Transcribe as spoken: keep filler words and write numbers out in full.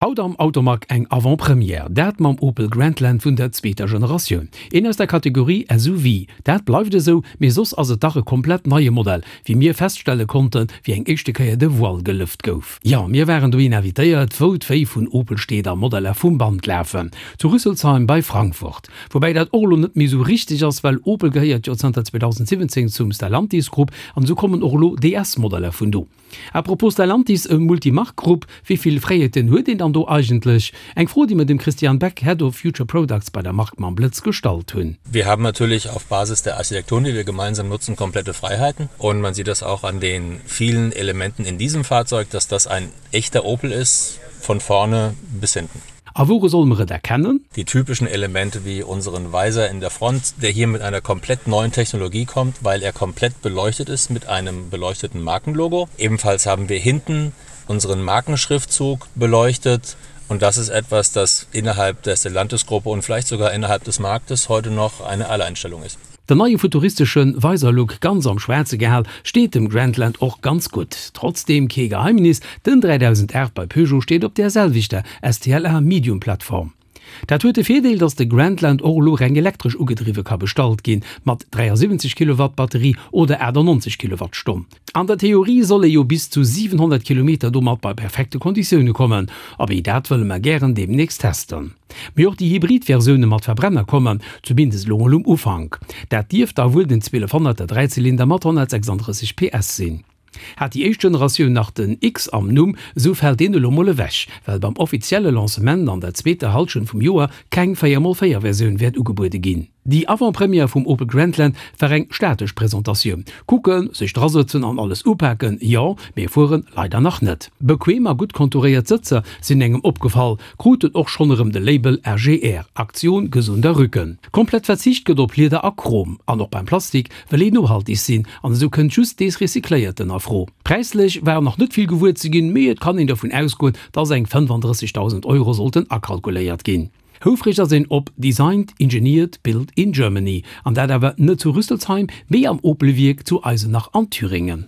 Haut am Automag eng Avant-Première, dat mam Opel Grandland vun der zweeter Generatioun. Een aus der Kategorie S U V, dat bleift esou, mee soss ass et dach e komplett neie Modell, wéi mir feststelle konnten, wéi eng éischte Kéier de Voile gelëft gouf. Jo, mir waren dohin invitéiert, wou d'Véi vun Opel steet a Modeller vum Band lafen, zu Rüsselsheim bei Frankfurt. Woubäi dat och elo net méi esou richteg ass, well Opel gehéiert jo zanter zweedausendsiwwenzéng zum Stellantis Grupp an esou kommen och elo D S-Modeller vun do. À propos Stellantis, e Multimark-Grupp, wéi vill Fräiheeten huet een dann do eigentlech? Eng Fro, déi mir dem Christian Beck, Head of Future Products bei der Mark mam Blëtz gestallt hunn. Wir haben natürlich auf Basis der Architektur, die wir gemeinsam nutzen, komplette Freiheiten. Und man sieht das auch an den vielen Elementen in diesem Fahrzeug, dass das ein echter Opel ist, von vorne bis hinten. A wouru soll mer et erkennen? Die typischen Elemente wie unseren Visor in der Front, der hier mit einer komplett neuen Technologie kommt, weil er komplett beleuchtet ist mit einem beleuchteten Markenlogo. Ebenfalls haben wir hinten unseren Markenschriftzug beleuchtet. Und das ist etwas, das innerhalb der Stellantis-Gruppe und vielleicht sogar innerhalb des Marktes heute noch eine Alleinstellung ist. Den neie futuristesche Visor-Look, ganz am Schwaarze gehal, steet dem Grandland och ganz gutt. Trotzdeem kee Geheimnis, den dräidausendaacht bei Peugeot steet op där selwechter S T L A Medium Plattform. Dat huet de Virdeel, datt de Grandland och elo reng elektresch ugedriwwe ka bestallt ginn, mat dräiasiwwenzeg Kilowatt Batterie oder achtannonzeg Kilowattstonn. An der Theorie soll ee jo bis zu siwenhonnert Kilometer domat bei perfekte Konditioune kommen, abee dat wëlle mer gären deemnächst testen. Mee och déi hybrid Versioune mat Verbrenner kommen, zumindest elo mol um Ufank. Dat dierft da wuel den zwielefhonnerter Dräizylinder mat honnertsechsanddrësseg P S sinn. Hat déi éischt Generatioun nach den X am Numm, esou fält deen elo mol ewech, well beim offizielle Lancement an der zweeter Hallschent vum Joer keng véier mol véier Versioun wäert ugebuede ginn. Déi Avant-Première vum Opel Grandland war eng statesch Presentatioun. Kucken, sech drasëtzen an alles upaken, jo, mee fueren leider nach net. Bequem a gutt konturéiert Sëtzer sinn engem opgefall, kruten och schonn erëm de Label A G R, Aktion gesunder Rücken. Komplett verzicht gëtt op Lieder a Chrom, an och beim Plastik wëll een nohalteg sinn, an esou kënnt just dees Recycléierten a Fro. Präislech war nach net vill gewuer ze ginn, mee et kann een dovun ausgoen, dass eng fënnefandrëssegdausend Euro sollten akalkuléiert ginn. Houfreg ass een op Designed, Engineered, Built in Germany, an dat awer net zu Rüsselsheim, mee am Opel-Wierk zu Eisenach an Thüringen.